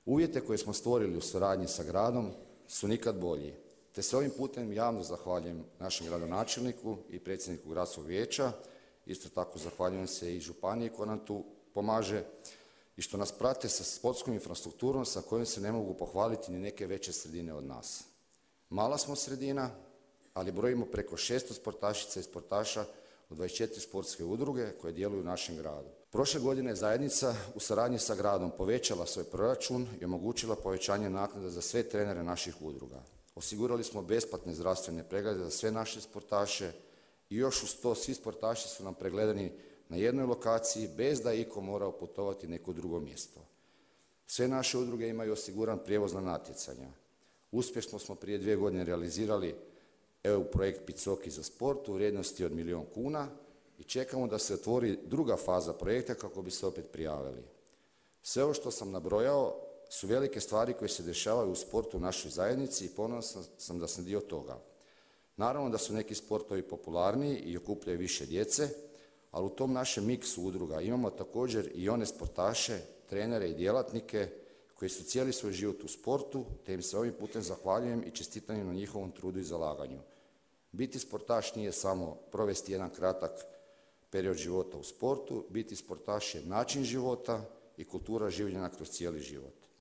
Uvjete koje smo stvorili u suradnji sa gradom su nikad bolji, te se ovim putem javno zahvaljujem našem gradonačelniku i predsjedniku gradskog vijeća. Isto tako zahvaljujem se i županiji koja nam tu pomaže i što nas prate sa sportskom infrastrukturom sa kojom se ne mogu pohvaliti ni neke veće sredine od nas. Mala smo sredina, ali brojimo preko 600 sportašica i sportaša u 24 sportske udruge koje djeluju u našem gradu. Prošle godine je zajednica u saradnji sa gradom povećala svoj proračun i omogućila povećanje naknada za sve trenere naših udruga. Osigurali smo besplatne zdravstvene preglede za sve naše sportaše i još uz to svi sportaši su nam pregledani na jednoj lokaciji bez da je itko morao putovati neko drugo mjesto. Sve naše udruge imaju osiguran prijevoz na natjecanja. Uspješno smo prije 2 godine realizirali EU projekt Picoki za sport u vrijednosti od 1 milijun kuna i čekamo da se otvori druga faza projekta kako bi se opet prijavili. Sve ovo što sam nabrojao su velike stvari koje se dešavaju u sportu u našoj zajednici i ponosan sam da sam dio toga. Naravno da su neki sportovi popularniji i okupljaju više djece, ali u tom našem miksu udruga imamo također i one sportaše, trenere i djelatnike koji su cijeli svoj život u sportu, te im se ovim putem zahvaljujem i čestitam im na njihovom trudu i zalaganju. Biti sportaš nije samo provesti jedan kratak period života u sportu, biti sportaš je način života i kultura življenja kroz cijeli život.